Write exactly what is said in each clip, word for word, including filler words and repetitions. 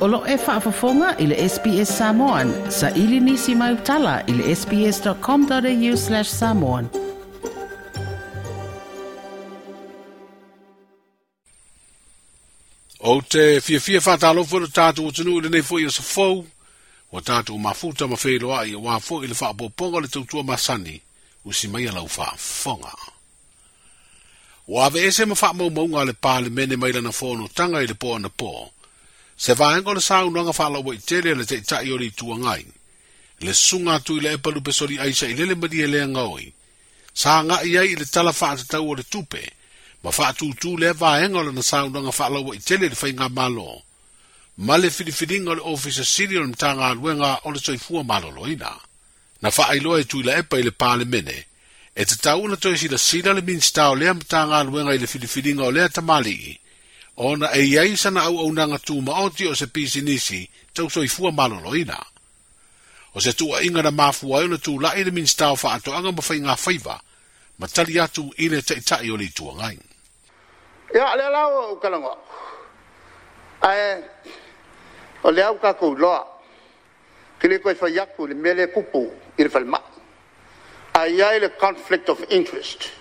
O lo e faafofoga i le S B S Samoan, sa ili nisi mai utala i le sbs.com.au slash samoan. O te fiafia whātālofo le tātou atunuu i lenei foi o sa fou, o tātou mafuta ma wheiloa i a wā foi i le whaapoponga le tautua masani, usi mai lau whaafonga. O ave ese ma whaamaumaunga le pālemene mai lana whōno tanga i le pō ana pō. Se vaenga o le saunoaga faalaua i tele le taitai o le itu agai. Le suga atu i le epa lupesoli aisa i lele malie lea gaoi. Sa agai ai i le tala faatatau o le tupe, ma faatūtū lea vaega o lana saunoaga faalaua i tele le faigamālō. Ma le filifiliga o le ofisa sili o le Matagaluega o le Soifua Maloloina. Na faailoa e Tuilaepa i le Palemene, e tatau ona toe silasila le Minisita o lea Matagaluega i le filifiliga o lea tamalii, ona e iai sana auaunaga tumaoti o se pisinisi tau soifua maloloina. O se tuuaiga na mafua ai ona tula'i le Minisita o Faatoaga ma Faigafaiva, ma tali atu i le taitai o le itu agai. Ia, lea la ua ou talanoa. Ae, o lea ua tatou iloa, ke le toe fai atu i le mea lea e tupu i le falemai. Ae i ai le conflict of interest,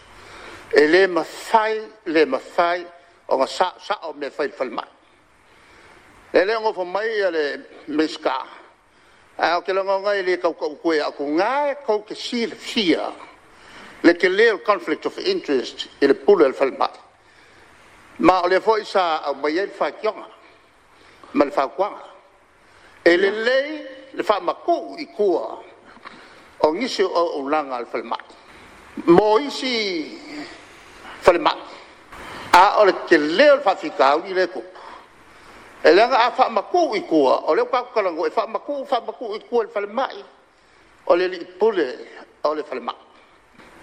e le mafai, le mafai ona sao mea fai i le falemai. E le o nofo mai ia le Minisita, ae ou te lagona e le tautau atu e atu, na e tou te silafia le tele o le conflict of interest i le pule o le falemai. Ma o lea foi sa aumai ai le faitioga ma le fautuaga. E lelei le faamatuu i tua o nisi o auaunaga a le falemai mo isi falemai. A o le tele o le faafitauli lea e tupu. E leaga a faamatuu i tua, o lea ua tatou talanoa e faamatuu, faamatuu i tua i le falemai, o le alii pule o le falemai.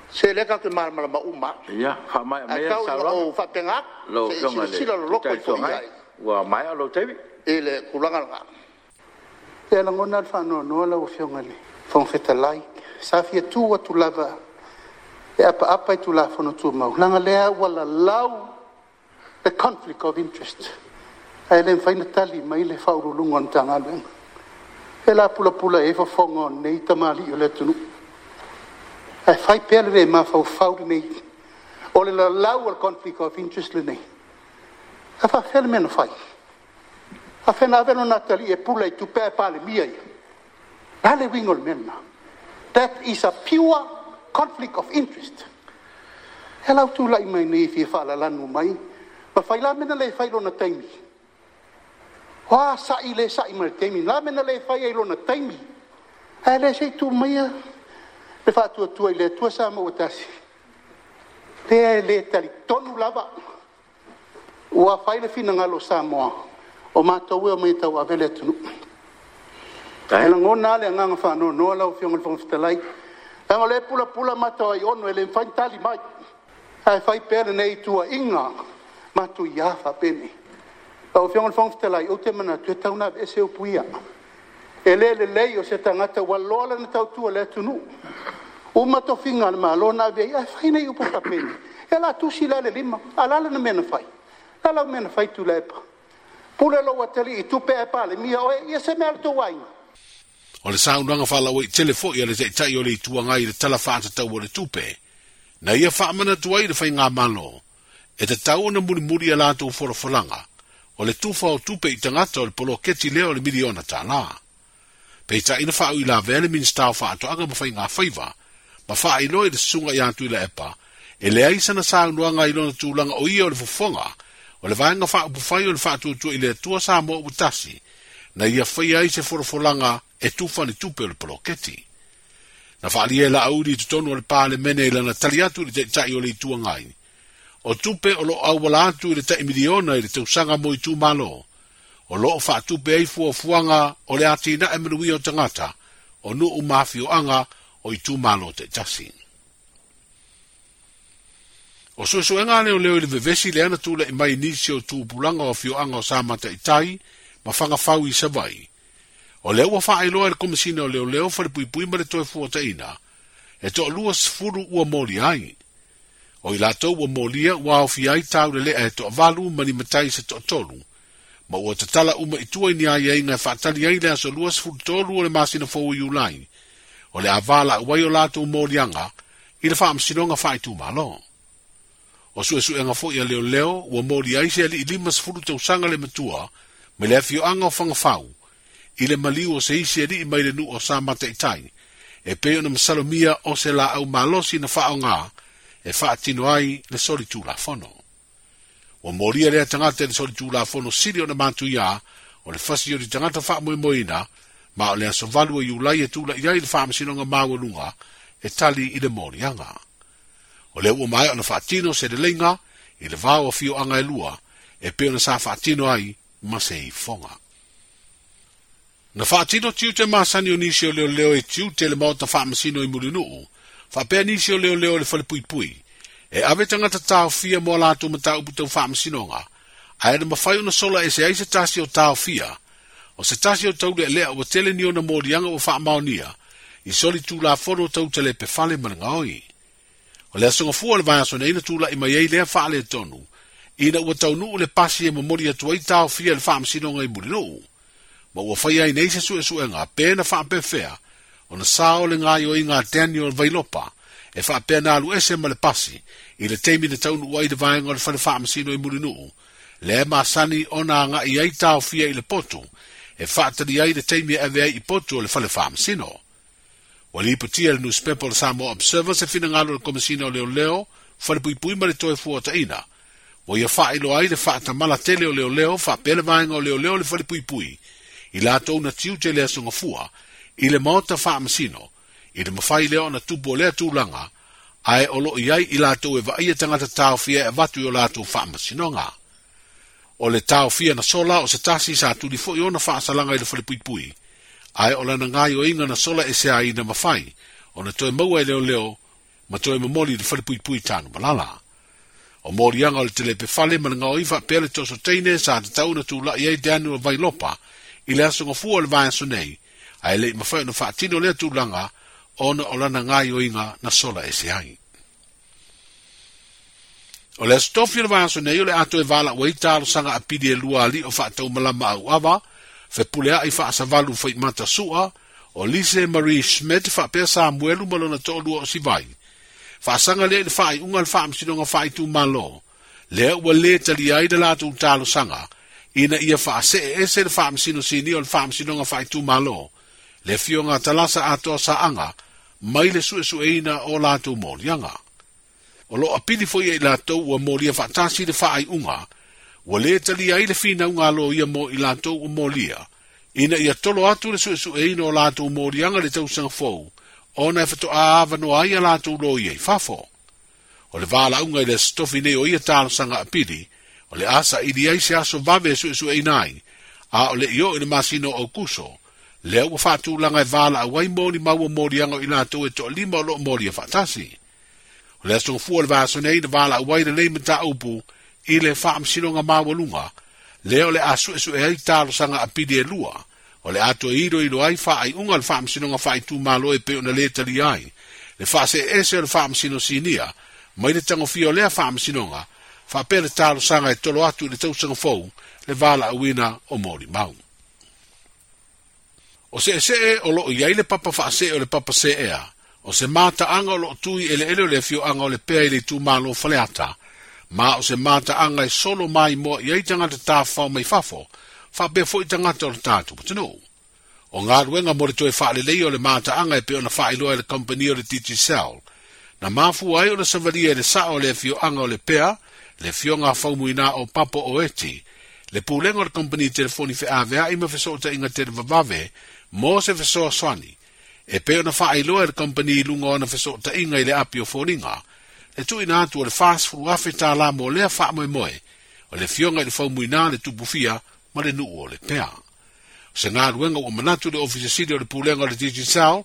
Se lea tatou te malamalama uma. Ia, faamaea mai Ae tau ina ou faapena atu, Lau se i afioga i le silasila loloto Taitai ifo i Agai, ai. ua maea lou taimi. I le tulaga lena. E lagona le faanoanoa lau afioga i le Fofoga Fetalai. Sa fia tu atu lava e apaapa i Tulafono Tumau, leaga lea ua lalau the conflict of interest. Ae le mafai ona tali mai le faauluuluga o le Matagaluega. E la pulapula e fofoga o nei tamalii o le atunuu. Ae fai pea le le mafaufau lenei. O le lalau o le conflict of interest lenei. A faafefea le mea na fai? A fea na ave lona atalii e pula i tupe ae palemia ia. La le uiga o le mea lena. That is a pure conflict of interest. E lau tula'i mai nei fia faalalanu mai. Ma fai la mea na le fai lona taimi. Oa sa'i le sa'i mai le taimi. La mea na le fai ai lona taimi. Ae le se i tu maia le faatuatua i le Atua sa maua tasi. Lea e le talitonu lava. Ua fai le finagalo o Samoa, o matou e o mai tau ave le atunuu. E lagona le agaga faanoanoa lau afioga i le Fofoga Fetalai. Leaga o lea e pulapula matou ai ono e le mafai ona tali mai. Ae fai pea lenei tuuaiga matuia faapenei. Lau afioga i le Fofoga Fetalai, ou te manatu e tatau ona aveese upu ia. E le lelei o se tagata ua loa lana tautua le atunuu. Uma tofiga a le Malo na ave ai, ae fai nei upu faapenei. E la tusi la le lima, a la lana mea na fai. La lau mea na fai Tuilaepa. Pule lou atalii i tupe ae palemia oe, ia se mea a le tou aiga. O le saunoaga faalaua i tele foi a le taitai o le itu agai i le tala faatatau o le tupe. Na ia faamanatu ai le faigamālō, e tatau ona mulimuli a latou folafolaga, o le tufa o tupe i tagata o le poloketi lea o le miliona tālā. Peitai na faauilavea le Minisita o Faatoaga ma Faigafaiva, ma faailoa i le susuga ia Tuilaepa, e leai sana saunoaga i lona tulaga o ia o le fofoga, o le vaega faaupufai o le faatuatua i le Atua Samoa ua tasi, na ia faia ai se folafolaga e tufa ni tupe o le poloketi. Na faalia e Laauli i totonu o le Palemene i lana tali atu i le taitai o le itu agai. O tupe o loo auala atu i le tai miliona i le tausaga mo itumālō, o loo faatupe ai fuafuaga o le atinae manuia o tagata, o nuu ma afioaga o itumālō taitasi. O suesuega leoleo i le vevesi le ana tula'i mai nisi o tupulaga o afioaga o Sa Mataitai ma Fagafau i Savaii. O lea ua faailoa e le Komesina o Leoleo Falepuipui ma le Toe Fuataina, e toalua sefulu ua moli ai. O i latou ua molia ua aofia ai taulelea e toavalu ma ni matai se toatolu, Ma ua tatala uma i tua i ni aiaiga e faatali ai le aso luasefulutolu o le masina fou o Iulai, o le a valaau ai o latou moliaga i le faamasinoga faaitumalo. O suesuega foi a leoleo ua moli ai se alii lima sefulu tausaga le matua mai le afioaga o Fagafau i le maliu o se isi alii mai le nuu o Sa Mataitai, e pei ona masalomia o se laau malosi na faaaoga e faatino ai le solitulafono. Ua molia lea tagata i le solitulafono sili ona matuia o le fasi o le tagata faamoemoeina, ma o le aso valu o Iulai e tula'i ai le faamasinoga maualuga e tali i le moliaga. O lea ua maea ona faatino se leleiga i le va o afioaga e lua e pei ona sa faatino ai ma se ifoga. Na faatino tiute masani o nisi o leoleo e tiute le maota faamasino i Mulinuu, faapea nisi o leoleo i le falepuipui, e ave tagata taofia mo a latou mataupu tau faamasinoga, ae na mafai ona sola ese ai se tasi o taofia, o se tasi o taulealea ua tele ni ona moliaga ua faamaonia, i solitulafono tau talepefale ma le gaoi. O le aso gafua o le vaiaso nei na tula'i mai ai lea faaletonu, ina ua taunuu le pasi e momoli atu ai taofia i le faamasinoga i Mulinuu. Ma ua fai ai nei se suesuega pe na faapefea ona sao le gaoioiga a Daniel Vailopa e faapea na alu ese ma le pasi i le taimi na taunuu ai le vaega o le fale faamasino i Mulinuu, lea masani ona aga'i ai taofia i le potu e faatali ai le taimi e ave ai i potu o le fale faamasino. Ua lipotia le newspaper o le Samoa Observer se finagalo o le Komesina o Leoleo, Falepuipui ma le Toe Fuataina, ua ia faailoa ai le faatamala tele o leoleo faapea le vaega o leoleo le falepuipui i latou na tiute le aso gafua i le maota faamasino, i le mafai lea ona tupu o lea tulaga, ae o loo i ai i latou e vaaia tagata taofia e avatu i o latou faamasinoga. O le taofia na sola o se tasi sa tuli foi ona faasalaga i le falepuipui, ae o lana gaoioiga na sola ese ai na mafai ona toe maua e leoleo ma toe momoli i le falepuipui Tanumalala. O moliaga o le telepefale ma le gaoi faapea le toso teine sa tatau na tula'i ai Daniel Vailopa i le aso gafua o le vaiaso nei, ae le'i mafai ona faatino lea tulaga ona o lana gaoioiga na sola ese ai. O le aso tofi o le vaiaso nei o le a toe valaau ai talosaga apili e lua alii o faataumalama auava, fepulea'i faasavalu faimata sua, o Lise Marie Schmidt faapea Samuelu ma lona to'alua o Sivai. Faasaga lea i le faaiuga o le faamasinoga faaitumalo, lea ua lē talia ai le latou talosaga, ina ia faasee ese le faamasino sinia o le faamasinoga faaitumalo, le afioga a Talasa atoa saaga, mai le suesueina o latou moliaga. O loo apili foi e i latou ua molia faatasi le faaiuga, ua lē talia ai le finauga a loia mo i latou ua molia, ina ia tolo atu le suesueina o latou moliaga i le tausaga fou, ona e fatoā avanoa ai a latou loia i fafo. O le valaauga i le aso tofi nei o ia talosaga apili, o le a saili ai se aso vave e suesueina ai, a o le i oo i le masina o Aukuso, lea ua faatulaga e valaau ai molimau o moliaga o i latou e toalima o loo molia faatasi. O le aso gafua o le vaiaso nei na valaau ai lenei mataupu i le faamasinoga maualuga, lea o le a suesue ai talosaga apili e lua, o le a toe iloilo ai faaiuga o le faamasinoga faaitumalo e pei ona lē talia ai, le faaseese o le faamasino sinia, mai le tagofia o lea faamasinoga, faapea le talosaga e tolo atu i le tausaga fou le valaauina o molimau. O seesee o loo i ai le papa faasee o le papa seea, o se mataaga o loo tui eleele o le afioaga o Lepea i le itumalo Faleata, ma o se mataaga e solo maimoa i ai tagata tafafao mai fafo, faapea foi tagata o le tatou atunuu. O galuega mo le toe faaleleia o le mataaga e pei ona faailoa e le kamupani o le Digicel, na mafua ai ona savalia e le sao o le afioaga o Lepea, le afioga a Faumuina o Papo o Eti, le pulega o le kamupani telefoni feavea'i ma fesootaiga televavave mo se fesoasoani, e pei ona faailoa e le kamupani i luga o ana fesootaiga i le api o foliga, le tuuina atu o le fasefulu afe tālā mo lea faamoemoe, o le afioga i le Faumuina le Tupufia ma le nuu o Lepea. O se galuega ua manatu le ofisa sili o le pulega o le Digicel,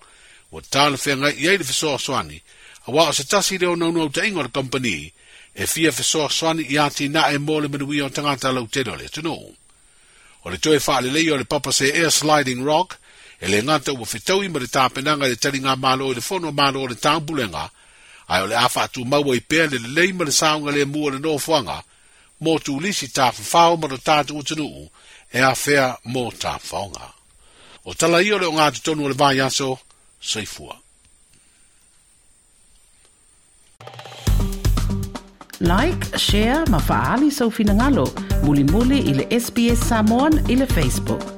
ua talafeagai i ai le fesoasoani, auā o se tasi lea o naunautaiga o le kamupani, e fia fesoasoani i atinae mo le manuia o tagata lautele o le atunuu. O le toe faaleleia o le papa seea Sliding Rock, e le gata ua fetaui ma le tapenaga i le taligamalo i le fono a Malo o le Taupulega, ae o le a faatumaua i pea le lelei ma le saogalemu o le nofoaga mo tulisi tafafao ma lo tātou atunuu e afea mo tafaoga. O tala ia o le o ngā tonu o le vai aso, soifua. Like, share, ma faali sau finangalo, muli muli i le S B S Samoan i le Facebook.